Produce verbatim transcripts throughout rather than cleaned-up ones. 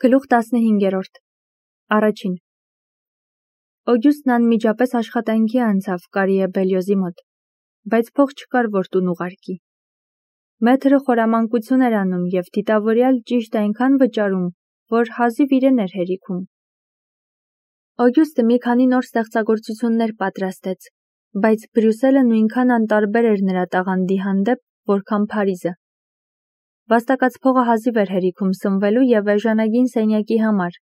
Գլուխ տասնհինգերորդ Առաջին Օգյուստն անմիջապես աշխատանքի անցավ Կարիե Բելյոզի մոտ, բայց փող չկար, որ տուն ուղարկի։ Մեթրը խորամանկություն էր անում և դիտավորյալ ճիշտ այնքան վճարում, որ հազիվ իրեն էր հերիքում։ Օգյուստը մի քանի նոր ստեղծագործություններ պատրաստեց, բայց Բրյուսելը նույնքան անտարբեր էր նրա տաղանդի հանդեպ, որքան Փարիզը։ Վաստակած փողը հազիվ էր հերիքում սնվելու և էժանագին սենյակի համար։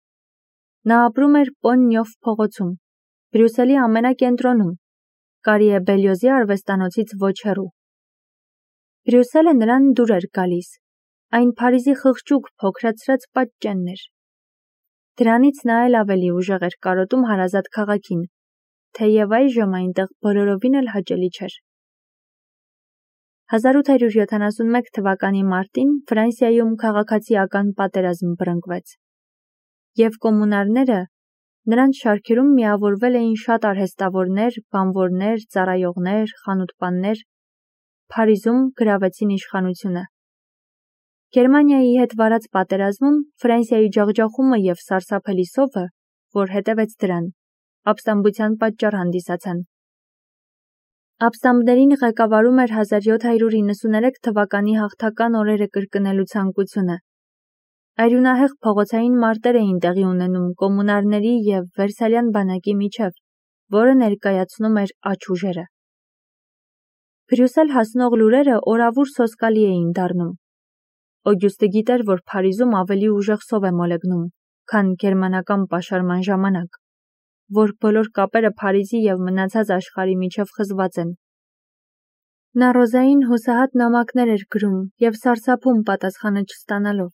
Նա ապրում էր Պոն-Նյոֆ փողոցում, Բրյուսելի ամենակենտրոնում, Կարիե Բելյոզի արվեստանոցից ոչ հեռու։ Բրյուսելը նրան դուր էր գալիս, այն Փարիզի խղճուկ փոքրացրած պատճենն էր։ Դրանից նա էլ ավելի ուժեղ էր կարոտում հարազատ քաղաքին, թեև այժմ այնտեղ բոլորովին էլ հաճելի չէր։ հազար ութ հարյուր յոթանասունմեկ թվականի մարտին Ֆրանսիայում քաղաքացիական պատերազմ բռնկվեց, և կոմունարները, նրանց շարքերում միավորվել էին շատ արհեստավորներ, բանվորներ, ծառայողներ, խանութպաններ, Փարիզում գրավեցին իշխանությունը։ Գերմանիայի հետ վարած պատերազմում Ֆրանսիայի ջախջախումը և սարսափելի սովը, որ հետևեց դրան, ապստամբության պատճառ հանդիսացան։ Ապստամբներին ղեկավարում էր հազար յոթ հարյուր իննսուներեք թվականի հաղթական օրերը կրկնելու ցանկությունը։ Արյունահեղ փողոցային մարտեր էին տեղի ունենում կոմունարների և Վերսալյան բանակի միջև, որը ներկայացնում էր աջ ուժերը։ Բրյուսել հասնող լուրերը օրավուր սոսկալի էին դառնում։ Օգյուստը գիտեր, որ Փարիզում ավելի ուժեղ սով է մոլեգնում, քան գերմանական պաշարման ժամանակ, որ բոլոր կապերը Փարիզի և մնացած աշխարհի միջև խզված են։ Նա Ռոզային հուսահատ նամակներ էր գրում և սարսափում պատասխանը չստանալով,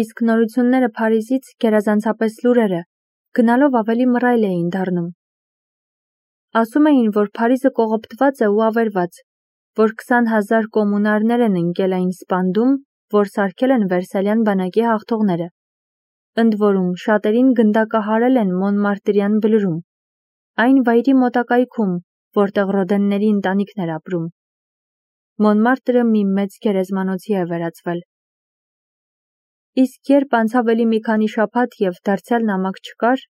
իսկ նորությունները Փարիզից, գերազանցապես լուրերը, գնալով ավելի մռայլ էին դառնում։ Ասում էին, որ Փարիզը կողոպտված է ու ավերված, որ քսան հազար կոմունարներ են ընկել այն սպանդում, որ սարքել են Վերսալյան բանակի հաղթողները։ Ընդ որում, շատերին գնդակահարել են Մոնմարտրյան բլուրում, այն վայրի մոտակայքում, որտեղ Ռոդենների ընտանիքն էր ապրում։ Մոնմարտրը մի մեծ գերեզմանոցի է վերածվել։ Իսկ երբ անցավ էլի մի քանի շաբաթ և դարձյալ նամակ չկար,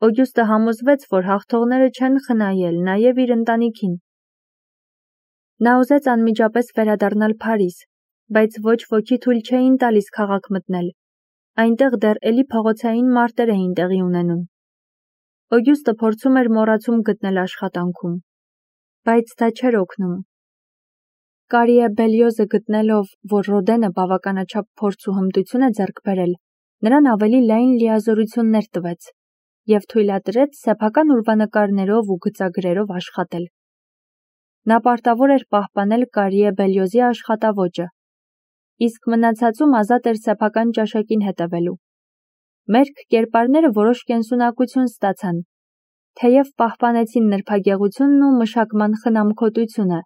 Օգյուստը համոզվեց, որ հաղթողները չեն խնայել նաև իր ընտանիքին։ Նա ուզեց անմիջապես վերադառնալ Փարիզ, բայց ոչ ոքի թույլ չէին տալիս քաղաք մտնել, այնտեղ դեռ էլի փողոցային մարտեր էին տեղի ունենում։ Օգյուստը փորձում էր մոռացում գտնել աշխատանքում, բայց դա չէր օգնում։ Կարիե Բելյոզը գտնելով, որ Ռոդենը բավականաչափ փորձ ու հմտություն է ձեռք բերել, նրան ավելի լայն լիազորություններ տվեց և թույլատրեց սեփական ուրվանկարներով ու գծագրերով աշխատել։ Նա պարտավոր էր պահպանել Կարիե Բելյոզի աշխատաոճը, իսկ մնացածում ազատ էր սեփական ճաշակին հետևելու։ Մերկ կերպարները որոշ կենսունակություն ստացան, թեև պահպանեցին նրբագեղությունն ու մշակման խնամքոտությունը,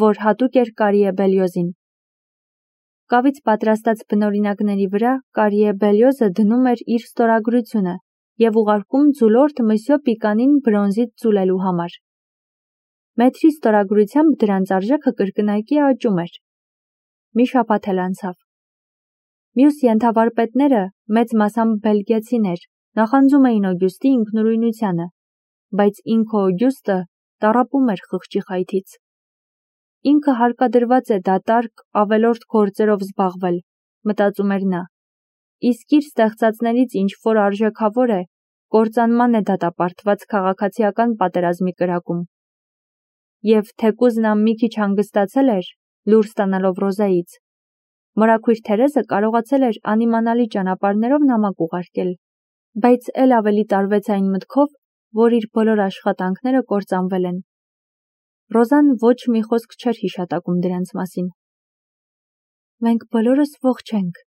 որ հատուկ էր Կարիե Բելյոզին։ Կավից պատրաստած բնօրինակների վրա Կարիե Բելյոզը դնում էր իր ստորագրությունը և ուղարկում ձուլորդ Մսյո Պիկանին բրոնզից ձուլելու համար։ Մեթրի ստորագրությամբ դրանց արժեքը կրկնակի աճում էր։ Մի շաբաթ էլ անցավ։ Մյուս ենթավարպետները, մեծ մասամբ բելգիացիներ, նախանձում էին Օգյուստի ինքնուրույնությանը, բայց ինքը Օգյուստը տառապում էր խղճի խայթից։ Ինքը հարկադրված է դատարկ, ավելորդ գործերով զբաղվել, մտածում էր նա, իսկ իր ստեղծածներից ինչ-որ արժեքավոր է, կործանման է դատապարտված քաղաքացիական պատերազմի կրակում։ Եվ թեկուզ նա մի քիչ հանգստացել էր, լուր ստանալով Ռոզայից, մորաքույր Թերեզը կարողացել էր անիմանալի ճանապարհներով նամակ ուղարկել, բայց էլ ավելի տարվեց այն մտքով, որ իր բոլոր աշխատանքները կործանվել են։ Ռոզան ոչ մի խոսք չէր հիշատակում դրանց մասին։ «Մենք բոլորս ողջ ենք»,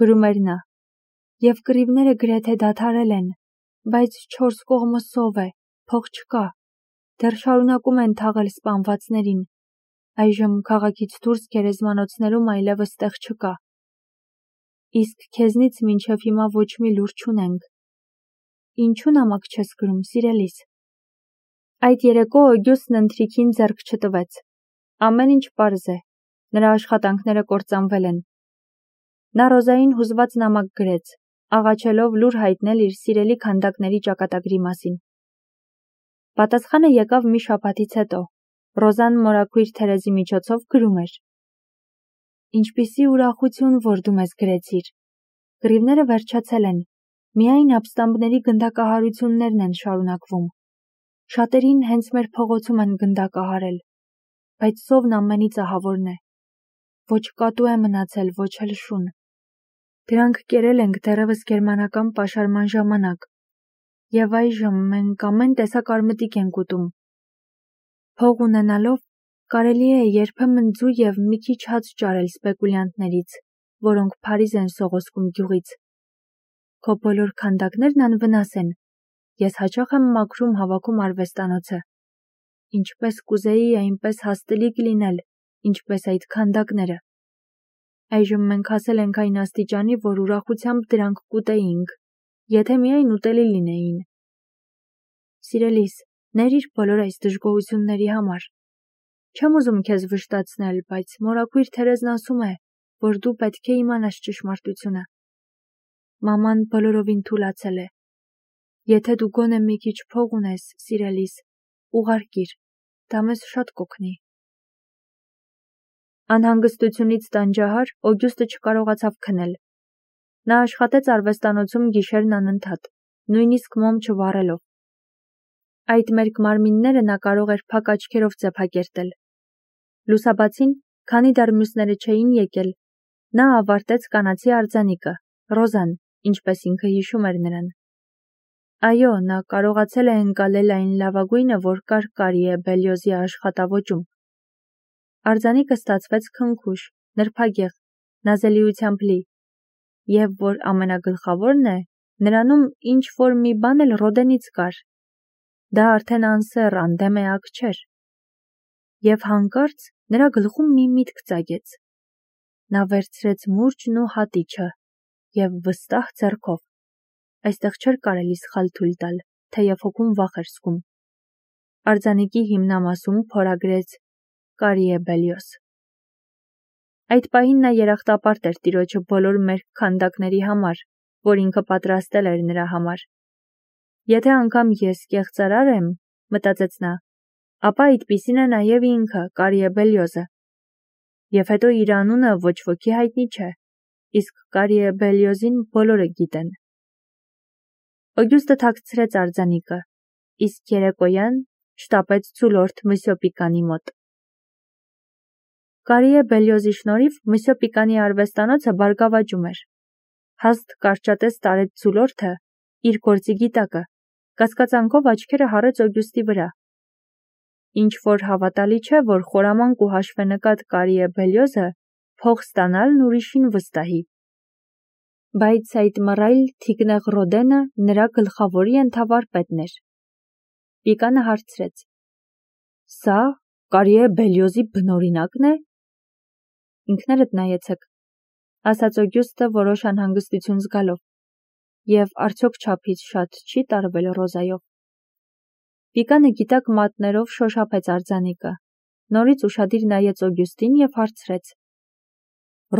գրում էր նա, «և կռիվները գրեթե դադարել են, բայց չորս կողմը սով է, փող չկա, դեռ շարունակում են թաղել սպանվածներին, այժմ քաղաքից դուրս գերեզմանոցներում այլևս տեղ չկա։ Իսկ քեզնից մինչև հիմա ոչ մի լուր չունենք։ Ինչու նամակ չես գրում, սիրելիս»։ Այդ երեկո Օգյուստն ընթրիքին ձեռք չտվեց։ Ամեն ինչ պարզ է, նրա աշխատանքները կործանվել են։ Նա Ռոզային հուզված նամակ գրեց, աղաչելով լուր հայտնել իր սիրելի քանդակների ճակատագրի մասին։ Պատասխանը եկավ մի շաբաթից հետո։ Ռոզան մորաքույր Թերեզի միջոցով գրում էր. Ինչպիսի ուրախություն, որ դու մեզ գրեցիր։ Կռիվները վերջացել են, միայն ապստամբների գնդակահարություններն են շարունակվում։ Շատերին հենց մեր փողոցում են գնդակահարել, բայց սովն ամենից ահավորն է։ Ոչ կատու է մնացել, ոչ էլ շուն։ Դրանք կերել ենք դեռևս գերմանական պաշարման ժամանակ, եւ այժմ մենք ամեն տեսակ արմատիկ ենք ուտում։ Փող ունենալով կարելի է երբեմն ձու եւ մի քիչ հաց ճարել սպեկուլյանտներից, որոնք Փարիզ են սողոսկում գյուղից։ Քո բոլոր քանդակներն անվնաս են։ Ես հաճախ եմ մաքրում հավաքում արվեստանոցը։ Ինչպես կուզեի այնպես հաստելիք լինել, ինչպես այդ քանդակները։ Այժմ մենք հասել ենք այն աստիճանի, որ ուրախությամբ դրանք կուտեինք, եթե միայն ուտելի լինեին։ Սիրելիս, ներիր բոլոր այս դժգոհությունների համար։ Չեմ ուզում քեզ վշտացնել, բայց մորաքույր Թերեզն ասում է, որ դու պետք է իմանաս ճշմարտությունը։ Մաման բոլորովին թուլացել է։ Եթե դու գոնե մի քիչ փող ունես, սիրելիս, ուղարկիր, դա մեզ շատ կօգնի։ Անհանգստությունից տանջահար Օգյուստը չկարողացավ քնել։ Նա աշխատեց արվեստանոցում գիշերն անընդհատ, նույնիսկ մոմ չվառելով։ Այդ մերկ մարմինները նա կարող էր փակ աչքերով ծեփակերտել։ Լուսաբացին, քանի դեռ մյուսները չէին եկել, նա ավարտեց կանացի արձանիկը, Ռոզան, ինչպես ինքը հիշում էր նրան։ Այո, նա կարողացել է ընկալել այն լավագույնը, որ կար Կարիե Բելյոզի աշխատավոճում։ Արձանիկը ստացվեց քնքուշ, նրբագեղ, նազելիությամբ լի, եւ որ ամենագլխավորն է, նրանում ինչ որ մի բան էլ Ռոդենից կար։ Դա արդեն անսեռ, անդեմ էակ չէր։ Եվ հանկարծ նրա գլխում մի միտք ծագեց։ Նա վերցրեց մուրճն ու հատիչը եւ վստահ ձեռքով։ Այստեղ չէր կարելի սխալ թույլ տալ, թեև հոգում վախ էր զգում։ Արձանիկի հիմնամասում փորագրեց Կարիե Բելյոզ։ Այդ պահին նա երախտապարտ էր տիրոջը բոլոր մեր քանդակների համար, որ ինքը պատրաստել էր նրա համար։ Եթե անգամ ես կեղծարար եմ, մտածեց նա, ապա այդպիսին է նաև ինքը, Կարիե Բելյոզը։ Եվ հետո իր անունը ոչ ոքի հայտնի չէ, իսկ Կարիե Բելյոզին բոլորը գիտեն։ Օգյուստը թաքցրեց արձանիկը, իսկ երեկոյան շտապեց ցուլորդ Մսյո Պիկանի մոտ։ Կարիե Բելյոզի շնորհիվ Մսյո Պիկանի արվեստանոցը բարգավաճում էր։ Հաստ կարճատես տարեց ցուլորդը իր գործի գիտակը, կասկածանքով աչքերը հառեց Օգյուստի վրա։ Ինչ որ հավատալի չէ, որ խորամանկ ու հաշվենկատ Կարիե Բելյոզը փող ստանալն ուրիշին վստահի։ Բայց այդ մռայլ թիկնեղ Ռոդենը նրա գլխավորի ենթավարպետն էր։ Պիկանը հարցրեց. Սա Կարիե Բելյոզի բնօրինակն է։ Ինքներդ նայեցեք, ասաց Օգյուստը որոշ անհանգստություն զգալով, եւ արդյոք չափից շատ չի տարվել Ռոզայով։ Պիկանը գիտակ մատներով շոշափեց արձանիկը, նորից ուշադիր նայեց Օգյուստին եւ հարցրեց.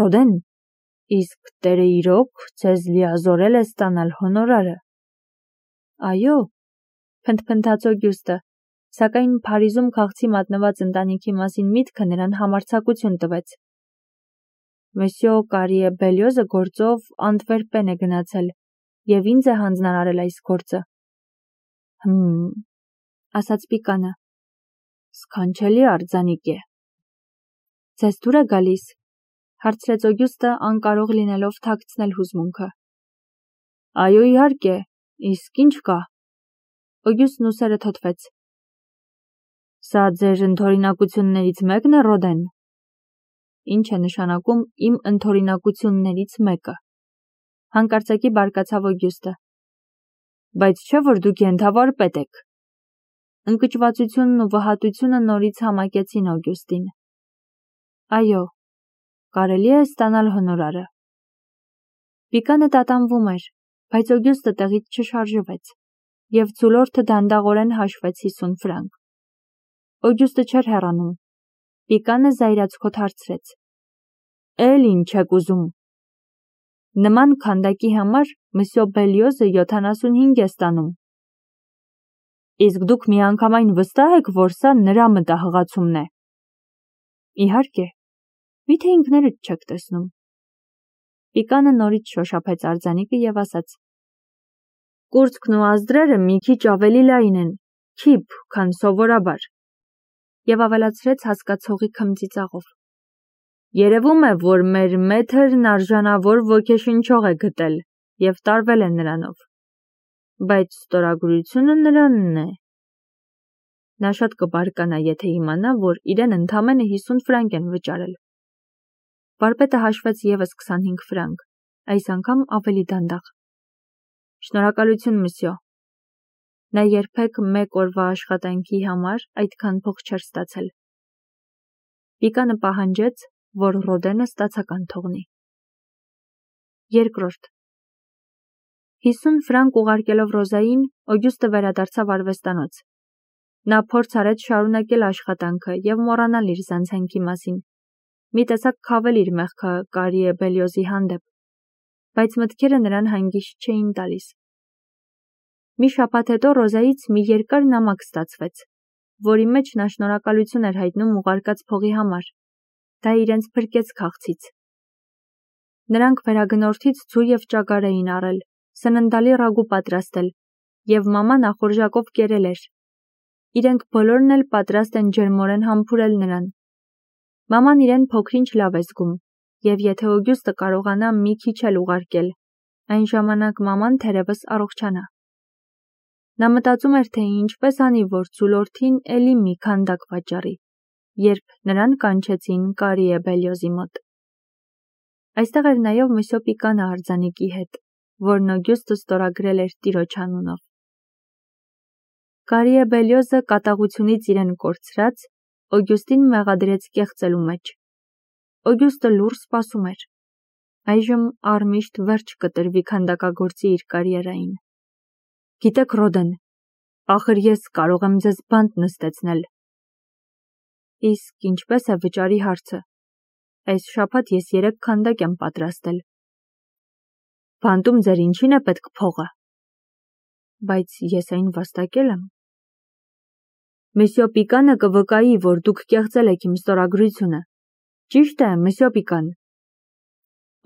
Ռոդեն, իսկ տերը իրոք ձեզ լիազորել է ստանալ հոնորարը։ Այո, փնթփնթաց Օգյուստը, սակայն Փարիզում քաղցի մատնված ընտանիքի մասին միտքը նրան համարձակություն տվեց։ Մսյո Կարիե Բելյոզը գործով Անտվերպեն է գնացել եւ ինձ է հանձնարարել այս գործը։ Հմ, ասաց Պիկանը, սքանչելի արձանիկ է։ Ձեզ դուր է գալիս, հարցրեց Օգյուստը անկարող լինելով թաքցնել հուզմունքը։ Այո, իհարկե, իսկ ինչ կա։ Օգյուստն ուսերը թոթվեց։ Սա ձեր ընդօրինակություններից մեկն է, Ռոդեն։ Ինչ է նշանակում իմ ընդօրինակություններից մեկը։ Հանկարծակի բարկացավ Օգյուստը։ Բայց չէ որ դուք ենթավարպետ եք։ Ընկճվածությունն ու վհատությունը նորից համակեցին Օգյուստին։ Այո, կարելի է ստանալ հոնորարը։ Պիկանը տատանվում էր, բայց Օգյուստը տեղից չշարժվեց, եւ ցուլորդը դանդաղորեն հաշվեց հիսուն ֆրանկ։ Օգյուստը չէր հեռանում։ Պիկանը զայրացկոտ հարցրեց. Էլ ինչ եք ուզում։ Նման քանդակի համար մսյո Բելիոզը յոթանասունհինգ է ստանում։ Իսկ դուք միանգամայն վստահ եք, որ սա նրա մտահղացումն է։ Իհարկե, միթե ինքներդ չեք տեսնում։ Պիկանը նորից շոշափեց արձանիկը եւ ասաց. Կուրծքն ու ազդրերը մի քիչ ավելի լայն են, քիփ, քան սովորաբար։ Եվ ավելացրեց հասկացողի քմծիծաղով. Երևում է, որ մեր մեթերն արժանավոր ոգեշնչող է գտել եւ տարվել է նրանով։ Բայց ստորագրությունը նրանն է։ Նա շատ կբարկանա, եթե իմանա, որ իրեն ընդամենը հիսուն ֆրանկ են վճարել։ Վարպետը հաշվեց եւս քսանհինգ ֆրանկ, այս անգամ ավելի դանդաղ։ Շնորհակալություն, մսյո։ Նա երբեք մեկ օրվա աշխատանքի համար այդքան փող չէր ստացել։ Պիկանը պահանջեց, որ Ռոդենը ստացական թողնի։ Երկրորդ հիսուն ֆրանկ ուղարկելով Ռոզային, Օգյուստը վերադարձավ արվեստանոց։ Նա փորձ արեց շարունակել աշխատանքը եւ մոռանալ իր զանցանքի մասին։ Մի տեսակ քավել իր մեղքը Կարիե Բելիոզի հանդեպ, բայց մտքերը նրան հանգիստ չէին տալիս։ Մի շաբաթ հետո Ռոզայից մի երկար նամակ ստացվեց, որի մեջ նա շնորհակալություն էր հայտնում ուղարկած փողի համար։ Դա իրենց փրկեց քաղցից։ Նրանք վերագնորդից ցու եւ ճագար էին առել, սննդալի ռագու պատրաստել, եւ մաման ախորժակով կերել էր։ Իրենք բոլորն էլ պատրաստ են ջերմորեն համբուրել նրան։ Մաման իրեն փոքրինչ լավ է զգում, եւ եթե Օգյուստը կարողանա մի քիչ էլ ուղարկել, այն ժամանակ մաման թերևս առողջանա։ Նա մտածում էր, թե ինչպես անի, որ ծուլորդին էլի մի քանդակ վաճառի, երբ նրան կանչեցին Կարիե Բելիոզի մոտ։ Այստեղ էր նաև մսյո Պիկանը արձանիկի հետ, որն Օգյուստը ստորագրել էր տիրոջ անունով։ Կարիե Բելիոզը կատաղությունից իրեն կորցրած, Օգյուստին մեղադրեց կեղծելու մեջ։ Օգյուստը լուռ սպասում էր։ Այժմ առմիշտ վերջ կտրվի քանդակագործի իր կարիերային։ Գիտեք, Ռոդեն, ախր ես կարող եմ ձեզ բանտ նստեցնել։ Իսկ ինչպես է վճարի հարցը։ Այս շաբաթ ես երեք քանդակ եմ պատրաստել։ Բանտում ձեր ինչին է պետք փողը։ Բայց ես այն վաստակել եմ։ Մսյո Պիկանը կվկայի, որ դուք կեղծել եք իմ ստորագրությունը։ Ճիշտ է, մսյո Պիկան։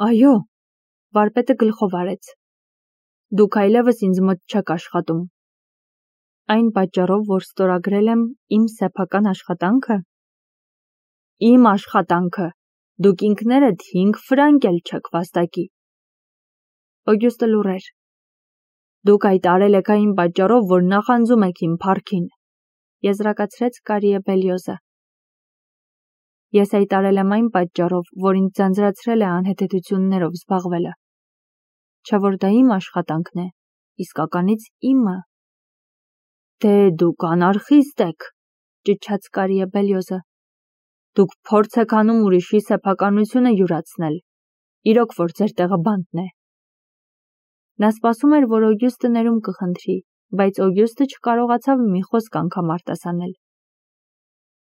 Այո, վարպետը գլխով արեց։ Դուք այլևս ինձ մոտ չեք աշխատում։ Այն պատճառով, որ ստորագրել եմ իմ սեփական աշխատանքը։ Իմ աշխատանքը։ Դուք ինքներդ հինգ ֆրանկ էլ չեք վաստակի։ Օգյուստը լուռ էր։ Դուք այդ արել եք այն պատճառով, որ նախանձում եք իմ փառքին, եզրակացրեց Կարիե Բելիոզը։ Ես այդ արել եմ այն պատճառով, որ ինձ ձանձրացրել է անհեթեթություններով զբաղվելը։ Չէ՞ որ դա իմ աշխատանքն է, իսկականից իմը։ Դե դուք անարխիստ եք, ճչաց Կարիե Բելիոզը։ Դուք փորձ եք անում ուրիշի սեփականությունը յուրացնել։ Իրոք որ ձեր տեղը բանտն է։ Նա սպասում էր, որ Օգյուստը ներում կխնդրի, բայց Օգյուստը չկարողացավ մի խոսք անգամ արտասանել։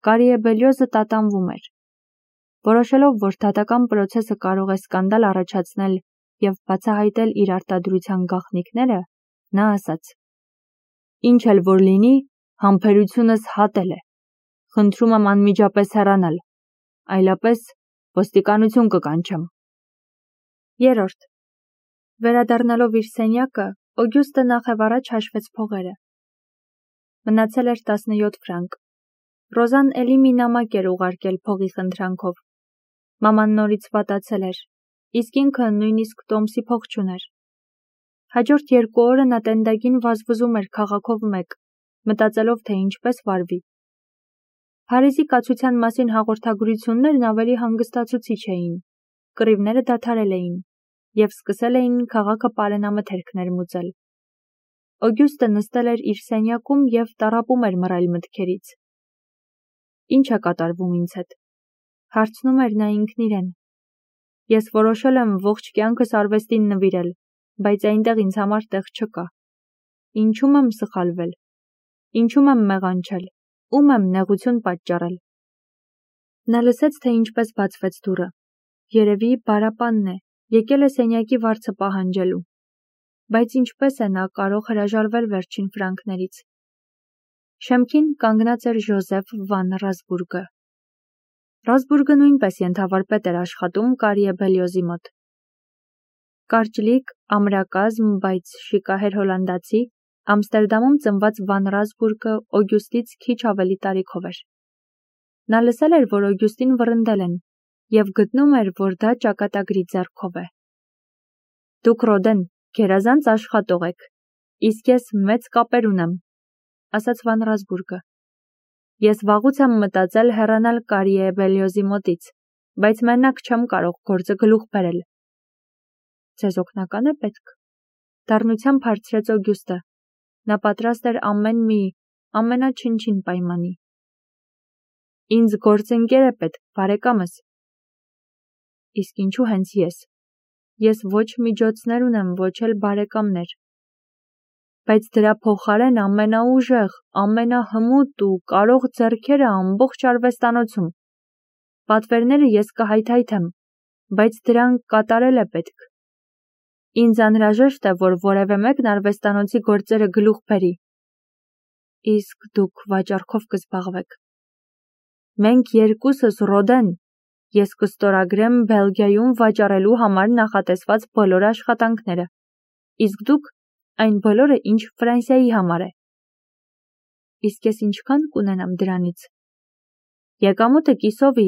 Կարիե Բելիոզը տատանվում էր։ Որոշելով, որ դատական պրոցեսը կարող է սկանդալ առաջացնել եւ բացահայտել իր արտադրության գաղտնիքները, նա ասաց. Ինչ էլ որ լինի, համբերությունս հատել է։ Խնդրում եմ անմիջապես հեռանալ, այլապես ոստիկանություն կկանչեմ։ Երրորդ. Վերադառնալով իր սենյակը, Օգյուստը նախևառաջ հաշվեց փողերը։ Մնացել էր տասնյոթ ֆրանկ։ Ռոզան էլի մի նամակ էր ուղարկել փողի խնդրանքով։ Մաման նորից վատացել էր, իսկ ինքը նույնիսկ տոմսի փող չուներ։ Հաջորդ երկու օրը նա տենդագին վազվզում էր քաղաքով մեկ, մտածելով, թե ինչպես վարվի։ Փարիզի կացության մասին հաղորդագրություններն ավելի հանգստացուցիչ էին, կռիվները դադարել էին, եւ սկսել էին քաղաքը պարենամթերք ներմուծել։ Օգյուստը նստել էր իր սենյակում եւ տառապում էր մռայլ մտքերից։ Ինչ է կատարվում ինձ հետ, հարցնում էր նա ինքն իրեն։ Ես որոշել եմ ողջ կյանքս արվեստին նվիրել, բայց այնտեղ ինձ համար տեղ չկա։ Ինչու՞մ եմ սխալվել։ Ինչու՞մ եմ մեղանչել, ում եմ նեղություն պատճառել։ Նա լսեց, թե ինչպես բացվեց դուռը։ Երևի բարապանն է, Եկել է սենյակի վարձը պահանջելու, բայց ինչպես է նա կարող հրաժարվել վերջին ֆրանկներից։ Շեմքին կանգնած էր Ժոզեֆ վան Ռազբուրգը։ Ռազբուրգը նույնպես ենթավարպետ էր աշխատում Կարիե Բելյոզի մոտ։ Կարճլիկ, ամրակազմ, բայց շիկահեր հոլանդացի, Ամստերդամում ծնված վան Ռազբուրգը Օգյուստից քիչ ավելի տարիքով էր։ Նա լսել էր, որ Օգյուստին վռնդել են, և գտնում էր, որ դա ճակատագրի ձեռքով է։ Դուք Ռոդեն, գերազանց աշխատող եք, իսկ ես մեծ կապեր ունեմ, ասաց վան Ռազբուրգը։ Ես վաղուց եմ մտածել հեռանալ Կարիե Բելյոզի մոտից, բայց մենակ չեմ կարող գործը գլուխ բերել։ Ձեզ օգնական է պետք։ Դառնությամբ հարցրեց Օգյուստը։ Նա պատրաստ էր ամեն մի, ամենաչնչին պայմանի։ Ինձ գործընկեր է պետք, բարեկամս։ Իսկ ինչու հենց ես։ Ես ոչ միջոցներ ունեմ, ոչ էլ բարեկամներ։ Բայց դրա փոխարեն ամենաուժեղ, ամենահմուտ ու կարող ձեռքերը ամբողջ արվեստանոցում։ Պատվերները ես կհայթայթեմ, բայց դրանք կատարել է պետք։ Ինձ անհրաժեշտ է, որ որևէ մեկն արվեստանոցի գործերը գլուխ բերի։ Իսկ դուք վաճառքով կզբաղվեք։ Մենք երկուսս Ռոդեն, ես կստորագրեմ Բելգիայում վաճառելու համար նախատեսված բոլոր աշխատանքները, իսկ դուք այն բոլորը, ինչ Ֆրանսիայի համար է։ Իսկ ես ինչքան կունենամ դրանից։ Եկամուտը կիսովի,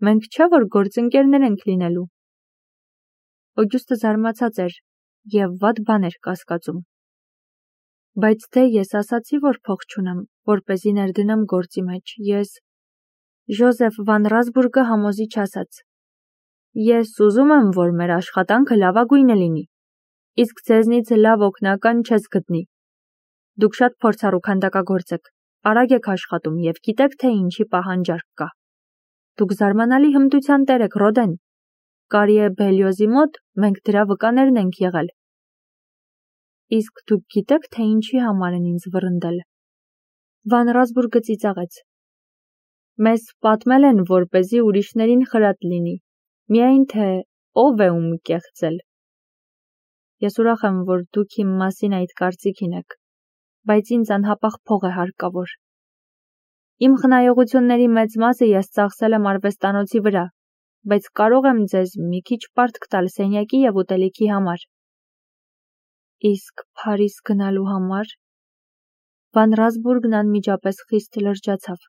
մենք չէ որ գործընկերներ ենք լինելու։ Օգյուստը զարմացած էր և վատ բան էր կասկածում։ Բայց դե ես ասացի, որ փող չունեմ, որպեսզի ներդնեմ գործի մեջ, ես… Ժոզեֆ վան Ռազբուրգը համոզիչ ասաց. Ես ուզում եմ, որ մեր աշխատանքը լավագույնը լինի, իսկ ձեզնից լավ օգնական չես գտնի։ Դուք շատ փորձառու քանդակագործ եք, արագ եք աշխատում և գիտեք, թե ինչի պահանջարկ կա։ Դուք զարմանալի հմտության տեր եք, Ռոդեն։ Կարիե Բելյոզի մոտ մենք դրա վկաներն ենք եղել։ Իսկ դուք գիտեք, թե ինչի համար են ինձ վռնդել։ Վան Ռազբուրգը ծիծաղեց։ Մեզ պատմել են, որպեսզի ուրիշներին խրատ լինի, միայն թե ով է ում կեղծել։ Ես ուրախ եմ, որ դուք իմ մասին այդ կարծիքին եք, բայց ինձ անհապաղ փող է հարկավոր։ Իմ խնայողությունների մեծ մասը ես ծախսել եմ արվեստանոցի վրա, բայց կարող եմ ձեզ մի քիչ պարտք տալ սենյակի և ուտելիքի համար։ Իսկ Փարիզ գնալու համար… Վան Ռազբուրգն անմիջապես խիստ լրջացավ։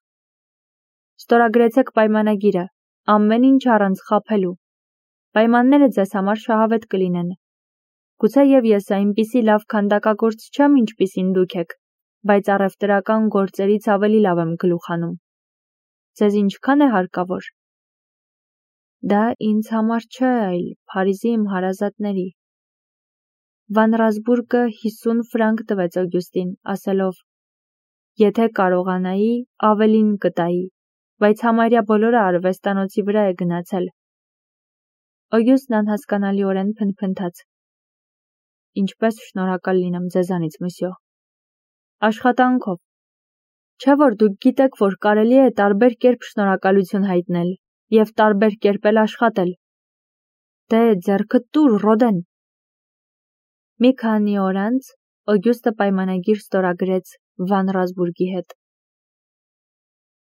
Ստորագրեցեք պայմանագիրը, ամեն ինչ առանց խաբելու։ Պայմանները ձեզ համար շահավետ կլինեն։ Գուցեև ես այնպիսի լավ քանդակագործ չեմ, ինչպիսին դուք եք, բայց առևտրական գործերից ավելի լավ եմ գլուխ հանում։ Ձեզ ինչքան է հարկավոր։ Դա ինձ համար չէ, այլ Փարիզի իմ հարազատների։ Վան Ռազբուրգը հիսուն ֆրանկ տվեց Օգյուստին, ասելով. Եթե կարողանայի, ավելին կտայի, բայց համարյա բոլորը արվեստանոցի վրա է գնացել։ Օգյուստն անհասկանալիորեն փնթփնթաց. Ինչպես շնորհակալ լինեմ ձեզանից, մսյո։ Աշխատանքով։ Չէ որ դուք գիտեք, որ կարելի է տարբեր կերպ շնորհակալություն հայտնել և տարբեր կերպ էլ աշխատել։ Դե ձեռքդ տուր, Ռոդեն։ Մի քանի օր անց Օգյուստը պայմանագիր ստորագրեց Վան Ռազբուրգի հետ։